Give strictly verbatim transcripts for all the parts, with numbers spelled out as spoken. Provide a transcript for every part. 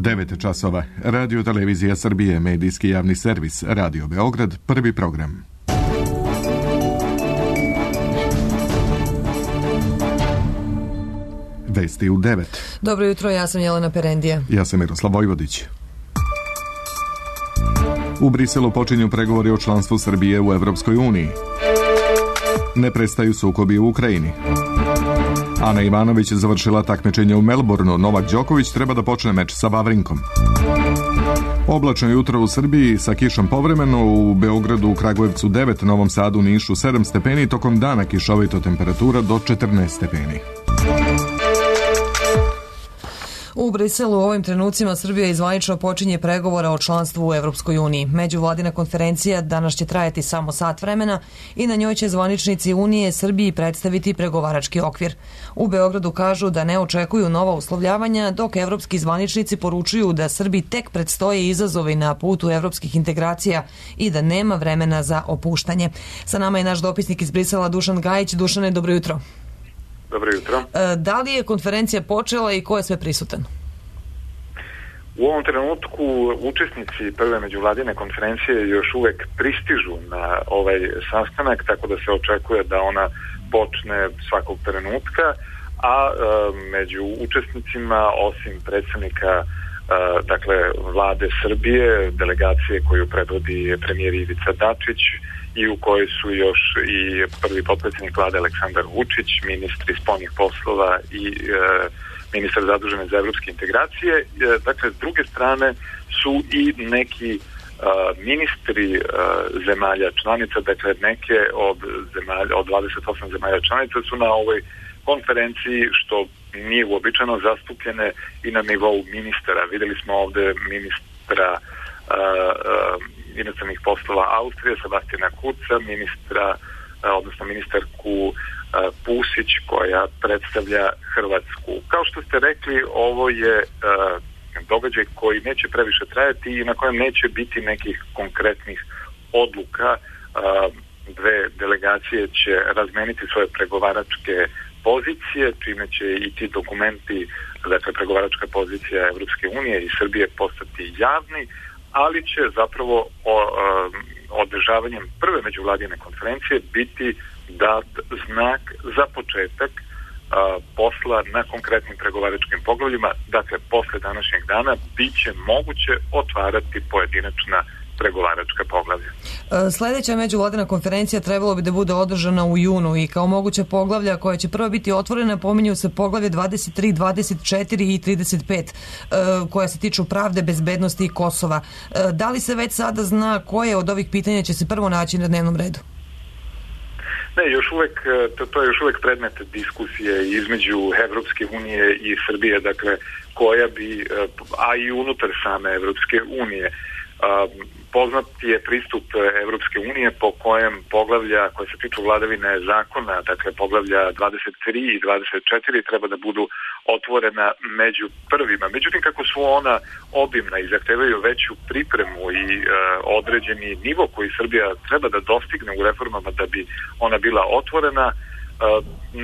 devet časova. Radio Televizija Srbije, medijski javni servis, Radio Beograd, prvi program. Vesti u devet. Dobro jutro, ja sam Jelena Perendija. Ja sam Miroslav Vojvodić. U Briselu počinju pregovori o članstvu Srbije u Evropskoj uniji. Ne prestaju sukobi u Ukrajini. Ana Ivanović završila takmičenje u Melbourneu. Novak Đoković treba da počne meč sa Vavrinkom. Oblačno jutro u Srbiji sa kišom povremeno, u Beogradu, u Kragujevcu devet, Novom Sadu, Nišu sedam stepeni, tokom dana kišovito temperatura do četrnaest stepeni. U Briselu u ovim trenucima Srbija izvanično počinje pregovora o članstvu u Evropskoj uniji. Međuvladina konferencija danas će trajati samo sat vremena i na njoj će zvaničnici Unije Srbiji predstaviti pregovarački okvir. U Beogradu kažu da ne očekuju nova uslovljavanja, dok evropski zvaničnici poručuju da Srbiji tek predstoje izazovi na putu evropskih integracija i da nema vremena za opuštanje. Sa nama je naš dopisnik iz Brisela Dušan Gajić. Dušane, dobro jutro. Dobro jutro. Da li je konferencija počela i ko je sve prisutan? U ovom trenutku učesnici prve međuvladine konferencije još uvek pristižu na ovaj sastanak, tako da se očekuje da ona počne svakog trenutka, a e, među učesnicima, osim predsednika e, dakle, vlade Srbije, delegacije koju predvodi premijer Ivica Dačić, i u kojoj su još i prvi potpredsjednik vlade Aleksandar Vučić, ministri spoljnih poslova i e, ministar zadužen za evropske integracije. E, dakle, s druge strane su i neki e, ministri e, zemalja članica, dakle neke od, zemalja, od dvadeset osam zemalja članica su na ovoj konferenciji, što nije uobičajeno, zastupljene i na nivou ministara. Videli smo ovde ministra e, e, inostranih poslova Austrije, Sebastijana Kurca, ministra, odnosno ministarku Pusić, koja predstavlja Hrvatsku. Kao što ste rekli, ovo je događaj koji neće previše trajati i na kojem neće biti nekih konkretnih odluka. Dve delegacije će razmeniti svoje pregovaračke pozicije, čime će i ti dokumenti, dakle pregovaračka pozicija Evropske unije i Srbije, postati javni, ali će zapravo o, o, održavanjem prve međuvladine konferencije biti dat znak za početak a, posla na konkretnim pregovaračkim poglavljima. Dakle, posle današnjeg dana bit će moguće otvarati pojedinačna pregovaračka poglavlja. Sledeća međuvladina konferencija trebalo bi da bude održana u junu i kao moguća poglavlja koja će prva biti otvorena pominju se poglavlje dvadeset tri, dvadeset četiri i trideset pet koja se tiču pravde, bezbednosti i Kosova. Da li se već sada zna koje od ovih pitanja će se prvo naći na dnevnom redu? Ne, još uvek, to, to je još uvek predmet diskusije između Evropske unije i Srbije, dakle, koja bi, a i unutar same Evropske unije, poznat je pristup Evropske unije po kojem poglavlja koje se tiču vladavine zakona, dakle poglavlja dvadeset tri i dvadeset četiri, treba da budu otvorena među prvima. Međutim, kako su ona obimna i zahtevaju veću pripremu i e, određeni nivo koji Srbija treba da dostigne u reformama da bi ona bila otvorena, e,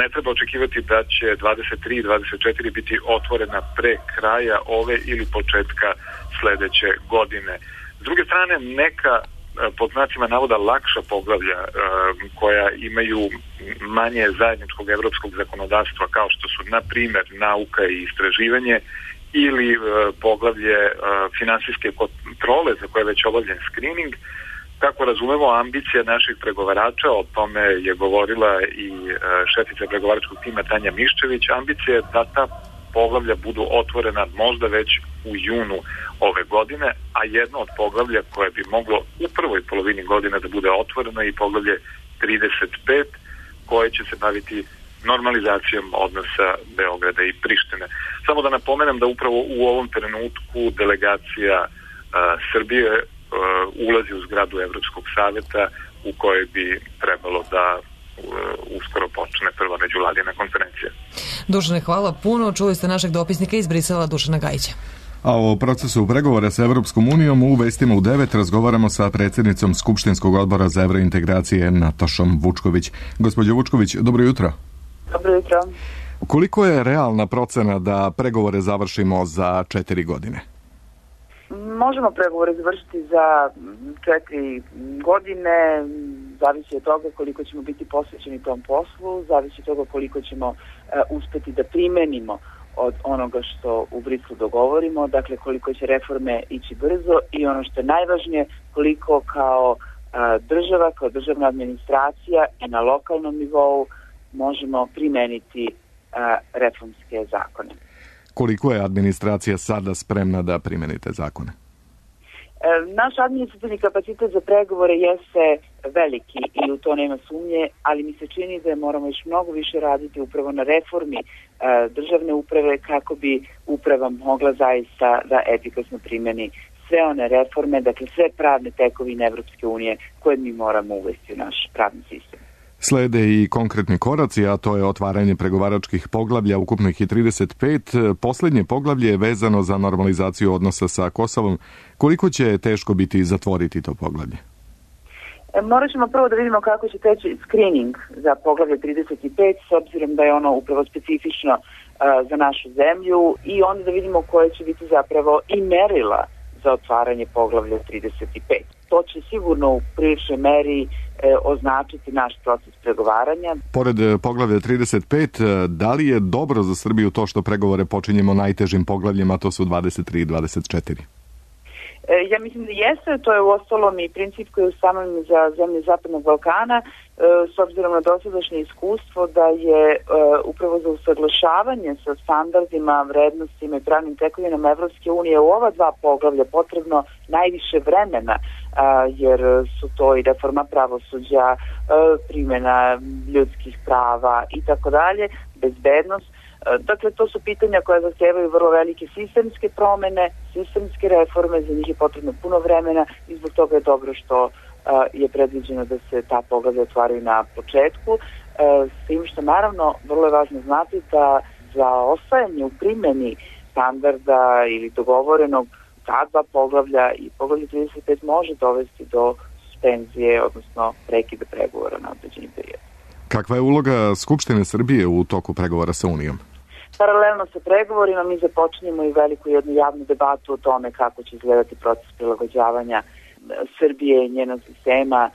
ne treba očekivati da će dvadeset tri i dvadeset četiri biti otvorena pre kraja ove ili početka sledeće godine. S druge strane, neka pod znacima navoda lakša poglavlja koja imaju manje zajedničkog evropskog zakonodavstva, kao što su na primer nauka i istraživanje ili poglavlje finansijske kontrole za koje je već obavljen screening. Kako razumemo, ambicija naših pregovarača, o tome je govorila i šefica pregovaračkog tima Tanja Miščević, ambicija je da ta poglavlja budu otvorena možda već u junu ove godine, a jedno od poglavlja koje bi moglo u prvoj polovini godine da bude otvoreno i poglavlje trideset pet, koje će se baviti normalizacijom odnosa Beograda i Prištine. Samo da napomenem da upravo u ovom trenutku delegacija a, Srbije a, ulazi u zgradu Evropskog saveta u kojoj bi trebalo da uskoro počne prva međuvladina konferencija. Dušane, hvala puno. Čuli ste našeg dopisnika iz Brisela, Dušana Gajića. A o procesu pregovora sa Evropskom unijom u vestima u devet razgovaramo sa predsjednicom Skupštinskog odbora za evrointegracije Natašom Vučković. Gospođo Vučković, dobro jutro. Dobro jutro. Koliko je realna procena da pregovore završimo za četiri godine? možemo pregovore završiti za četiri godine, zavisi od toga koliko ćemo biti posvećeni tom poslu, zavisi od toga koliko ćemo uh, uspeti da primenimo od onoga što u Briselu dogovorimo, dakle koliko će reforme ići brzo i ono što je najvažnije, koliko kao uh, država, kao državna administracija i na lokalnom nivou možemo primeniti uh, reformske zakone. Koliko je administracija sada spremna da primenite zakone? Naš administrativni kapacitet za pregovore jeste veliki i u to nema sumnje, ali mi se čini da moramo još mnogo više raditi upravo na reformi državne uprave kako bi uprava mogla zaista da efikasno primeni sve one reforme, dakle sve pravne tekovine Evropske unije koje mi moramo uvesti u naš pravni sistem. Slede i konkretni koraci, a to je otvaranje pregovaračkih poglavlja, ukupno ih je trideset pet. Poslednje poglavlje je vezano za normalizaciju odnosa sa Kosovom. Koliko će teško biti zatvoriti to poglavlje? E, morat ćemo prvo da vidimo kako će teći screening za poglavlje trideset pet, s obzirom da je ono upravo specifično uh, za našu zemlju, i onda da vidimo koje će biti zapravo i merila za otvaranje poglavlja trideset pet. To će sigurno u priličnoj meri e, označiti naš proces pregovaranja. Pored poglavlja trideset pet, da li je dobro za Srbiju to što pregovore počinjemo najtežim poglavljima, to su dvadeset tri i dvadeset četiri? E, ja mislim da jeste, to je uostalom i princip koji je ustanovljen za zemlje Zapadnog Balkana, e, s obzirom na dosadašnje iskustvo da je e, upravo za usaglašavanje sa standardima, vrednostima i pravnim tekovinama Evropske unije u ova dva poglavlja potrebno najviše vremena, a, jer su to i reforma pravosuđa, a, primjena ljudskih prava i tako dalje, bezbednost. Dakle, to su pitanja koja zahtevaju vrlo velike sistemske promene, sistemske reforme, za njih je potrebno puno vremena i zbog toga je dobro što uh, je predviđeno da se ta poglavlja otvaraju na početku. Uh, s tim što naravno vrlo je važno znati da za ostajanje u primjeni standarda ili dogovorenog ta dva poglavlja i poglavlje trideset pet može dovesti do suspenzije, odnosno prekida pregovora na određeni period. Kakva je uloga Skupštine Srbije u toku pregovora sa Unijom? Paralelno sa pregovorima mi započinjemo i veliku jednu javnu debatu o tome kako će izgledati proces prilagođavanja Srbije i njenog sistema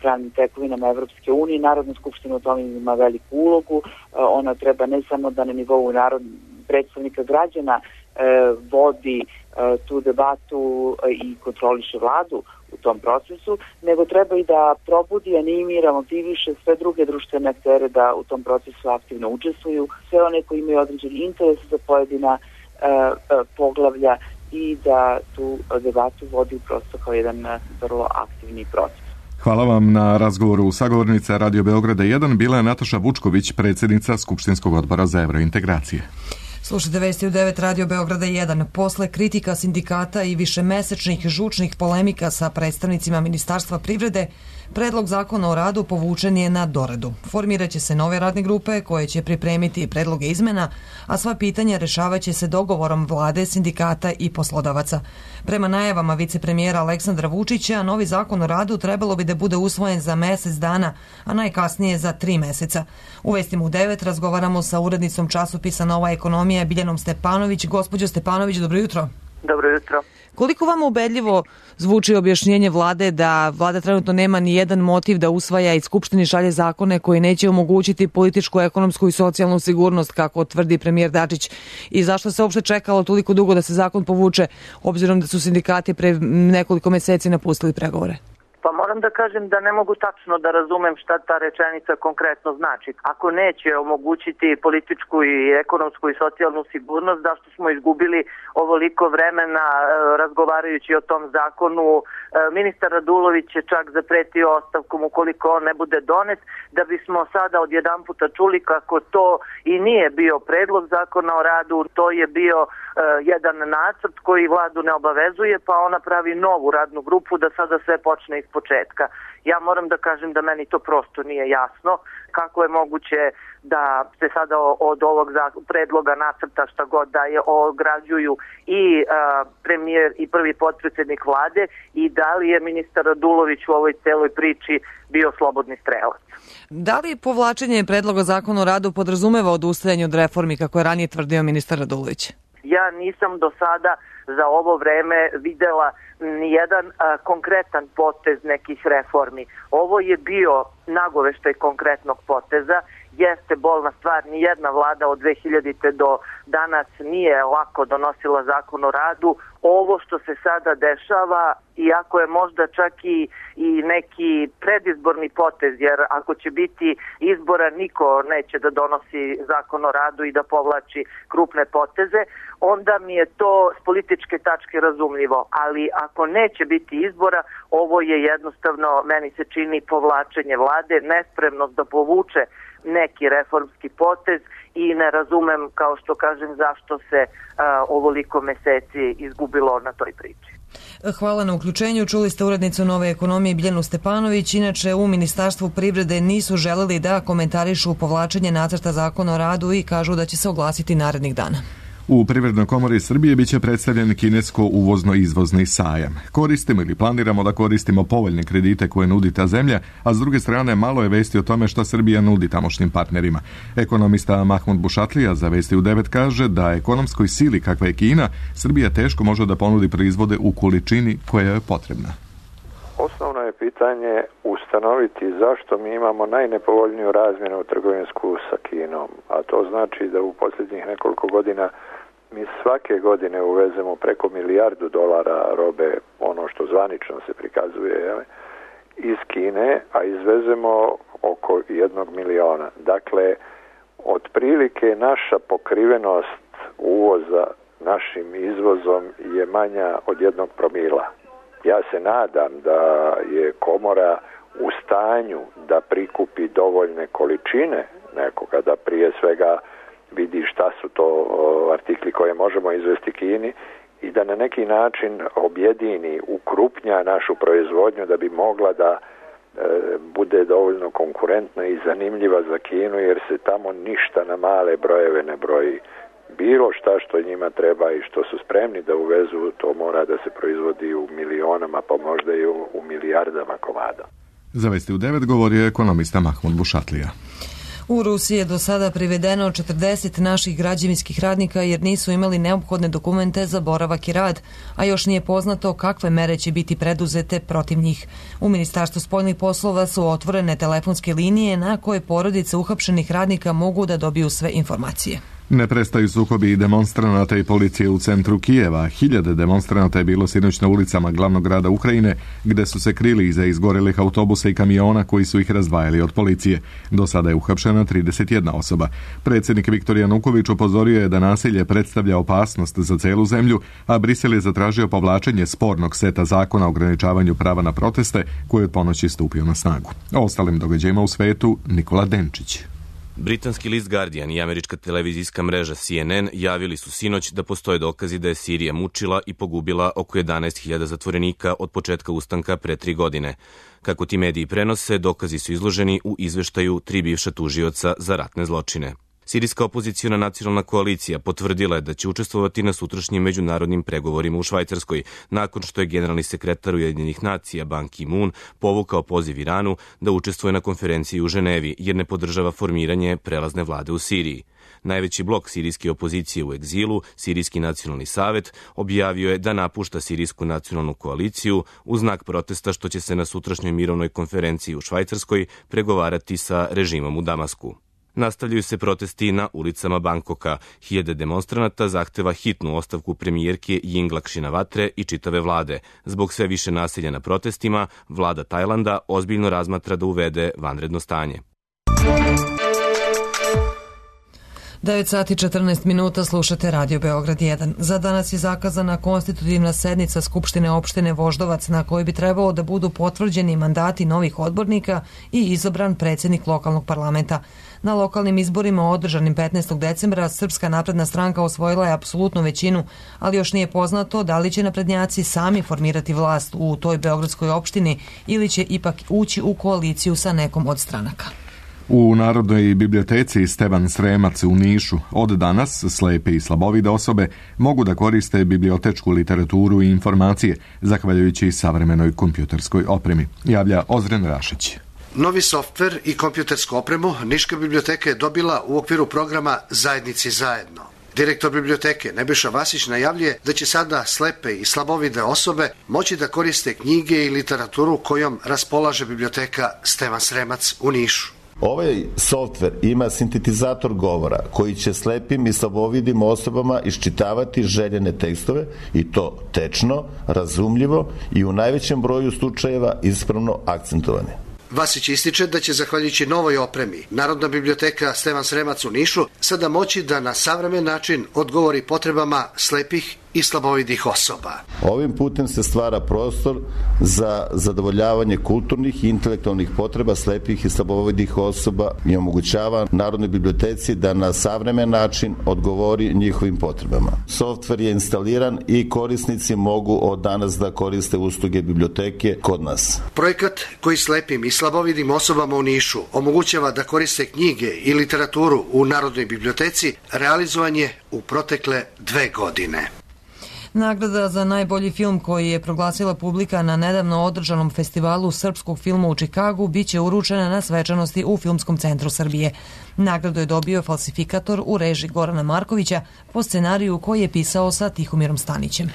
pravnim tekovinama Evropske unije. Narodna skupština u tome ima veliku ulogu. Ona treba ne samo da na nivou narod, predstavnika građana vodi tu debatu i kontroliše vladu u tom procesu, nego treba i da probudi, animira, motiviše sve druge društvene aktere da u tom procesu aktivno učestvuju, sve one koji imaju određeni interes za pojedina uh, poglavlja i da tu debatu vodi prosto kao jedan vrlo aktivni proces. Hvala vam na razgovoru. Sagovornica Radio Beograda jedan bila je Nataša Vučković, predsjednica Skupštinskog odbora za evrointegracije. Slušajte vesti u devet Radio Beograda jedan. Posle kritika sindikata i višemesečnih žučnih polemika sa predstavnicima Ministarstva privrede, predlog zakona o radu povučen je na doradu. Formiraće se nove radne grupe koje će pripremiti predloge izmena, a sva pitanja rešavaće se dogovorom vlade, sindikata i poslodavaca. Prema najavama vicepremijera Aleksandra Vučića, novi zakon o radu trebalo bi da bude usvojen za mesec dana, a najkasnije za tri meseca. U vestima u devet razgovaramo sa urednicom časopisa Nova ekonomija Biljanom Stepanović. Gospođo Stepanović, dobro jutro. Dobro jutro. Koliko vam ubedljivo zvuči objašnjenje vlade da vlada trenutno nema ni jedan motiv da usvaja i Skupštini šalje zakone koji neće omogućiti političku, ekonomsku i socijalnu sigurnost, kako tvrdi premijer Dačić, i zašto se uopšte čekalo toliko dugo da se zakon povuče, obzirom da su sindikati pre nekoliko meseci napustili pregovore? Pa moram da kažem da ne mogu tačno da razumem šta ta rečenica konkretno znači. Ako neće omogućiti političku i ekonomsku i socijalnu sigurnost, zašto smo izgubili ovoliko vremena e, razgovarajući o tom zakonu? E, ministar Radulović je čak zapretio ostavkom ukoliko on ne bude donet, da bismo sada odjedan puta čuli kako to i nije bio predlog zakona o radu, to je bio e, jedan nacrt koji vladu ne obavezuje, pa ona pravi novu radnu grupu da sada sve počne iz početka. Ja moram da kažem da meni to prosto nije jasno. Kako je moguće da se sada od ovog predloga nacrta šta god da je ograđuju i a, premijer i prvi potpredsjednik vlade, i da li je ministar Radulović u ovoj celoj priči bio slobodni strelac? Da li povlačenje predloga zakona o radu podrazumeva odustajanje od reformi, kako je ranije tvrdio ministar Radulović? Ja nisam do sada za ovo vreme videla nijedan a, konkretan potez nekih reformi. Ovo je bio nagoveštaj konkretnog poteza. Jeste bolna stvar, nijedna vlada od dve hiljadite do danas nije lako donosila zakon o radu. Ovo što se sada dešava, iako je možda čak i, i neki predizborni potez, jer ako će biti izbora, niko neće da donosi zakon o radu i da povlači krupne poteze, onda mi je to s političke tačke razumljivo. Ali ako neće biti izbora, ovo je jednostavno, meni se čini, povlačenje vlade, nespremnost da povuče neki reformski potez i ne razumem, kao što kažem, zašto se a, ovoliko meseci izgubilo na toj priči. Hvala na uključenju. Čuli ste urednicu Nove ekonomije Biljanu Stepanović. Inače, u Ministarstvu privrede nisu želeli da komentarišu povlačenje nacrta zakona o radu i kažu da će se oglasiti narednih dana. U Privrednoj komori Srbije biće predstavljen kinesko uvozno-izvozni sajam. Koristimo ili planiramo da koristimo povoljne kredite koje nudi ta zemlja, a s druge strane malo je vesti o tome šta Srbija nudi tamošnjim partnerima. Ekonomista Mahmud Bušatlija za Vesti u devet kaže da ekonomskoj sili kakva je Kina, Srbija teško može da ponudi proizvode u količini koja je potrebna. Osnovno je pitanje ustanoviti zašto mi imamo najnepovoljniju razmjenu trgovinsku sa Kinom, a to znači da u posljednjih nekoliko godina mi svake godine uvezemo preko milijardu dolara robe, ono što zvanično se prikazuje, jel, iz Kine, a izvezemo oko jednog miliona. Dakle, otprilike naša pokrivenost uvoza našim izvozom je manja od jednog promila. Ja se nadam da je komora u stanju da prikupi dovoljne količine nekoga, da prije svega vidi šta su to artikli koje možemo izvesti Kini i da na neki način objedini, ukrupnja našu proizvodnju da bi mogla da e, bude dovoljno konkurentna i zanimljiva za Kinu, jer se tamo ništa na male brojeve ne broji. Bilo šta što njima treba i što su spremni da uvezu, to mora da se proizvodi u milionama, pa možda i u, u milijardama komada. Za Vesti u devet govorio je ekonomista Mahmud Bušatlija. U Rusiji je do sada privedeno četrdeset naših građevinskih radnika jer nisu imali neophodne dokumente za boravak i rad, a još nije poznato kakve mere će biti preduzete protiv njih. U Ministarstvu spoljnih poslova su otvorene telefonske linije na koje porodice uhapšenih radnika mogu da dobiju sve informacije. Ne prestaju sukobi i demonstranata i policije u centru Kijeva. Hiljade demonstranata je bilo sinoć na ulicama glavnog grada Ukrajine, gde su se krili iza izgorelih autobusa i kamiona koji su ih razdvajali od policije. Do sada je uhapšena trideset jedna osoba. Predsjednik Viktor Januković upozorio je da nasilje predstavlja opasnost za celu zemlju, a Brisel je zatražio povlačenje spornog seta zakona o ograničavanju prava na proteste, koji je od ponoći stupio na snagu. O ostalim događajima u svetu Nikola Denčić. Britanski list Guardian i američka televizijska mreža C N N javili su sinoć da postoje dokazi da je Sirija mučila i pogubila oko jedanaest hiljada zatvorenika od početka ustanka pre tri godine. Kako ti mediji prenose, dokazi su izloženi u izveštaju tri bivša tužioca za ratne zločine. Sirijska opoziciona nacionalna koalicija potvrdila je da će učestvovati na sutrašnjim međunarodnim pregovorima u Švajcarskoj, nakon što je generalni sekretar Ujedinjenih nacija Ban Ki-moon povukao poziv Iranu da učestvuje na konferenciji u Ženevi, jer ne podržava formiranje prelazne vlade u Siriji. Najveći blok sirijske opozicije u egzilu, Sirijski nacionalni savet, objavio je da napušta Sirijsku nacionalnu koaliciju u znak protesta što će se na sutrašnjoj mirovnoj konferenciji u Švajcarskoj pregovarati sa režimom u Damasku. Nastavljaju se protesti na ulicama Bangkoka. Hiljade demonstranata zahteva hitnu ostavku premijerke Yingluck Shinawatre i čitave vlade. Zbog sve više nasilja na protestima, vlada Tajlanda ozbiljno razmatra da uvede vanredno stanje. devet sati četrnaest minuta, slušate Radio Beograd jedan. Za danas je zakazana konstitutivna sednica Skupštine opštine Voždovac na kojoj bi trebalo da budu potvrđeni mandati novih odbornika i izabran predsjednik lokalnog parlamenta. Na lokalnim izborima održanim petnaestog decembra Srpska napredna stranka osvojila je apsolutnu većinu, ali još nije poznato da li će naprednjaci sami formirati vlast u toj beogradskoj opštini ili će ipak ući u koaliciju sa nekom od stranaka. U Narodnoj biblioteci Stevan Sremac u Nišu od danas slepe i slabovide osobe mogu da koriste bibliotečku literaturu i informacije, zahvaljujući savremenoj kompjuterskoj opremi, javlja Ozren Rašić. Novi softver i kompjutersku opremu Niška biblioteka je dobila u okviru programa Zajednici zajedno. Direktor biblioteke Nebojša Vasić najavljuje da će sada slepe i slabovide osobe moći da koriste knjige i literaturu kojom raspolaže biblioteka Stevan Sremac u Nišu. Ovaj softver ima sintetizator govora koji će slepim i slabovidim osobama iščitavati željene tekstove i to tečno, razumljivo i u najvećem broju slučajeva ispravno akcentovane. Vasić ističe da će, zahvaljujući novoj opremi, Narodna biblioteka Stevan Sremac u Nišu sada moći da na savremen način odgovori potrebama slepih i slabovidih osoba. Ovim putem se stvara prostor za zadovoljavanje kulturnih i intelektualnih potreba slepih i slabovidih osoba i omogućava Narodnoj biblioteci da na savremen način odgovori njihovim potrebama. Softver je instaliran i korisnici mogu od danas da koriste usluge biblioteke kod nas. Projekat koji slepim i slabovidim osobama u Nišu omogućava da koriste knjige i literaturu u Narodnoj biblioteci realizovan je u protekle dve godine. Nagrada za najbolji film koji je proglasila publika na nedavno održanom festivalu srpskog filma u Čikagu biće uručena na svečanosti u Filmskom centru Srbije. Nagradu je dobio Falsifikator u režiji Gorana Markovića po scenariju koji je pisao sa Tihomirom Stanićem.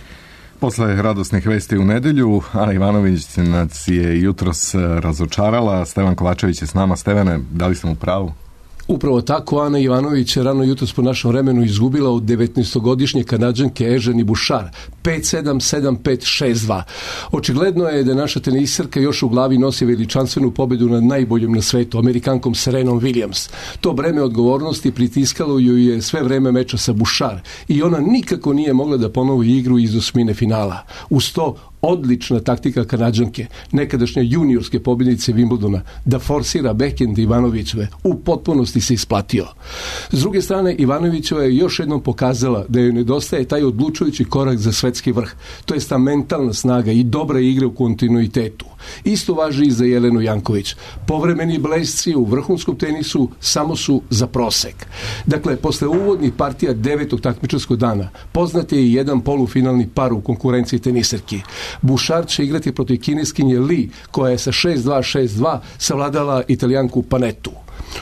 Posle radosnih vesti u nedelju, Ana Ivanović nas je jutros razočarala. Stevan Kovačević je s nama. Stevane, da li sam u pravu? Upravo tako, Ana Ivanović je rano jutros po našem vremenu izgubila od devetnaestogodišnje Kanadžanke Eženi Bušar pet sedam sedam pet šest dva. Očigledno je da naša teniserka još u glavi nosi veličanstvenu pobedu nad najboljom na svetu, Amerikankom Serenom Williams. To breme odgovornosti pritiskalo ju je sve vreme meča sa Bušar i ona nikako nije mogla da ponovi igru iz osmine finala. Uz to odlična taktika Kanadžanke, nekadašnje juniorske pobjednice Wimbledona, da forsira backhand Ivanovićeve, u potpunosti se isplatio. S druge strane, Ivanovićeva je još jednom pokazala da joj nedostaje taj odlučujući korak za svetski vrh, to jest ta mentalna snaga i dobra igra u kontinuitetu. Isto važi i za Jelenu Janković. Povremeni blesci u vrhunskom tenisu samo su za prosek. Dakle, posle uvodnih partija devetog takmičarskog dana, poznat je i jedan polufinalni par u konkurenciji teniserki. Bušar će igrati protiv kineskinje Li, koja je sa šest dva šest dva savladala Italijanku Panetu.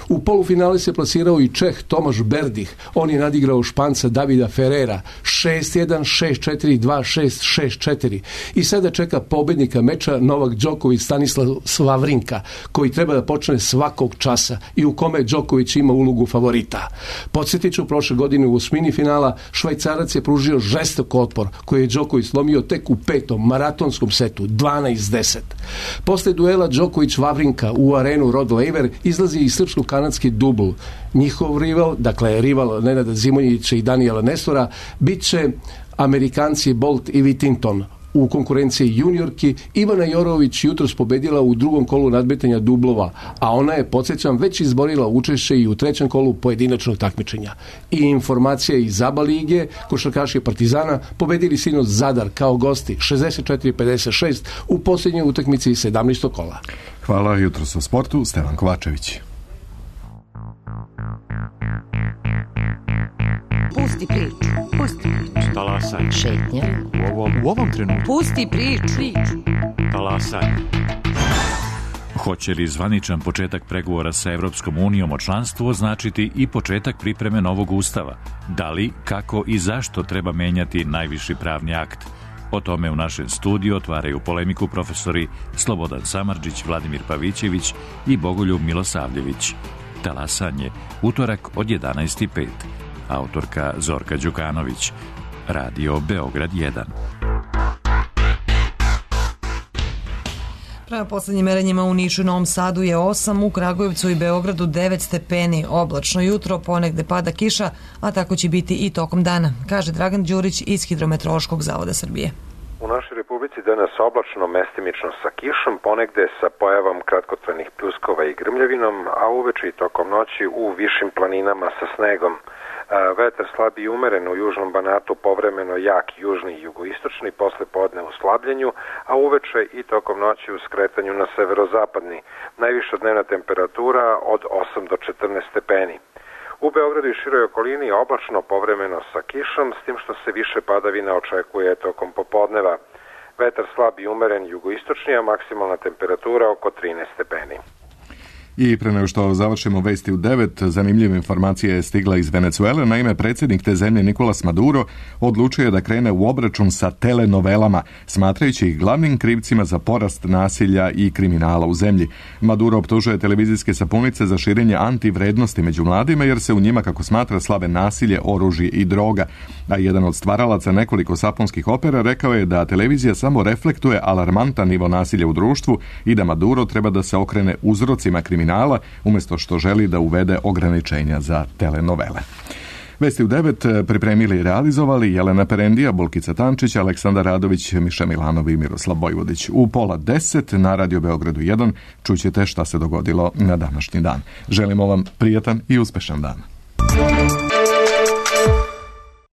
U polufinale se plasirao i Čeh Tomaš Berdih. On je nadigrao Španca Davida Ferrera šest jedan, šest četiri, dva šest, šest četiri. I sada čeka pobednika meča Novak Đoković Stanislav Vavrinka, koji treba da počne svakog časa i u kome Đoković ima ulogu favorita. Podsjetit ću, prošle godine u osmini finala Švajcarac je pružio žestok otpor koji je Đoković slomio tek u petom maratonskom setu dvanaest deset. Posle duela Đoković-Vavrinka u arenu Rod Laver izlazi i srpsko-kanadski dubl. Njihov rival, dakle rival Nenada Zimonjića i Danijela Nestora, bit će Amerikanci Bolt i Whittington. U konkurenciji juniorki Ivana Jorović jutros pobedila u drugom kolu nadmetanja dublova, a ona je, podsjećam, već izborila učešće i u trećem kolu pojedinačnog takmičenja. I informacija iz ABA lige, košarkaši Partizana pobedili sinoć Zadar kao gosti šezdeset četiri pedeset šest u posljednjoj utakmici sedamnaestog kola. Hvala, jutros o sportu, Stevan Kovačević. Pusti priču, pusti priču. Talasaj. Šetnja. U ovom, u ovom trenutku. Pusti priču. priču. Talasaj. Hoće li zvaničan početak pregovora sa Evropskom unijom o članstvu označiti i početak pripreme novog ustava? Da li, kako i zašto treba menjati najviši pravni akt? O tome u našem studiju otvaraju polemiku profesori Slobodan Samardžić, Vladimir Pavićević i Bogoljub Milosavljević. Talasanje, utorak od jedanaest i pet. Autorka Zorka Đukanović. Radio Beograd jedan. Prema poslednjim merenjima u Nišu i Novom Sadu je osam, u Kragujevcu i Beogradu devet stepeni. Oblačno jutro, ponegde pada kiša, a tako će biti i tokom dana, kaže Dragan Đurić iz Hidrometeorološkog zavoda Srbije. U našoj Republici danas oblačno, mestimično sa kišom, ponegde sa pojavom kratkotrajnih pljuskova i grmljavinom, a uveče i tokom noći u višim planinama sa snegom. Vetar slabi i umeren u južnom Banatu, povremeno jak južni i jugoistočni, posle podne u slabljenju, a uveče i tokom noći u skretanju na severozapadni. Najviša dnevna temperatura od osam do četrnaest stepeni. U Beogradu i široj okolini oblačno, povremeno sa kišom, s tim što se više padavina očekuje tokom popodneva. Vetar slab i umeren jugoistočni, a maksimalna temperatura oko trinaest stepeni. I pre nego što završimo vesti u devet, zanimljiva informacija je stigla iz Venecuele. Naime, predsjednik te zemlje Nicolas Maduro odlučio je da krene u obračun sa telenovelama, smatrajući ih glavnim krivcima za porast nasilja i kriminala u zemlji. Maduro optužuje televizijske sapunice za širenje antivrednosti među mladima, jer se u njima, kako smatra, slave nasilje, oružje i droga. A jedan od stvaralaca nekoliko sapunskih opera rekao je da televizija samo reflektuje alarmantan nivo nasilja u društvu i da Maduro treba da se okrene uzrocima kriminala umjesto što želi da uvede ograničenja za telenovele. Vesti u devet pripremili i realizovali Jelena Perendija, Bulkica Tančić, Aleksandar Radović, Miša Milanov i Miroslav Vojvodić. U pola deset na Radio Beogradu jedan čućete šta se dogodilo na današnji dan. Želimo vam prijatan i uspešan dan.